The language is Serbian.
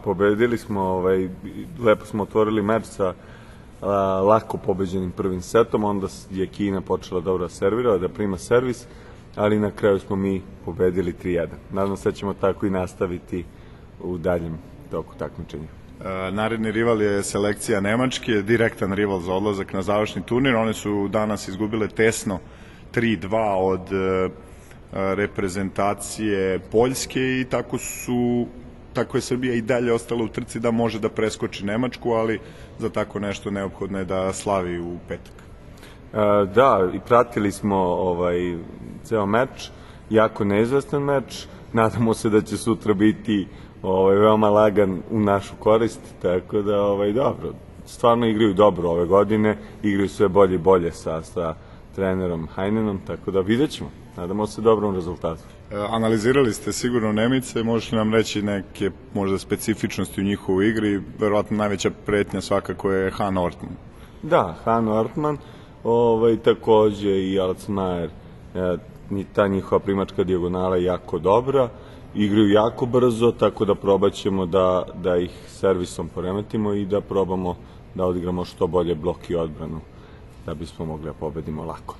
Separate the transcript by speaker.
Speaker 1: pobedili smo, lepo smo otvorili meč sa lako pobeđenim prvim setom, onda je Kina počela dobro da servira, da prima servis, ali na kraju smo mi pobedili 3-1. Nadam se da ćemo tako i nastaviti u daljem toku takmičenja.
Speaker 2: Naredni rival je selekcija Nemačke, direktan rival za odlazak na završni turnir. One su danas izgubile tesno 3-2 od reprezentacije Poljske i tako je Srbija i dalje ostala u trci da može da preskoči Nemačku, ali za tako nešto neophodno je da slavi u petak.
Speaker 1: Da, i pratili smo ceo meč, jako neizvestan meč, nadamo se da će sutra biti veoma lagan u našu korist, tako da dobro, stvarno igraju dobro ove godine, igraju sve bolje i bolje sa trenerom Heinenom, tako da vidjet ćemo, nadamo se dobrom rezultatu.
Speaker 2: Analizirali ste sigurno Nemice, možete li nam reći neke možda specifičnosti u njihovoj igri, verovatno najveća pretnja svakako je Han Ortman.
Speaker 1: Da, Han Ortman, takođe i Alcmajer, ta njihova primačka dijagonala je jako dobra, igraju jako brzo, tako da probat ćemo da ih servisom poremetimo i da probamo da odigramo što bolje blok i odbranu, da bismo mogli da pobedimo lako.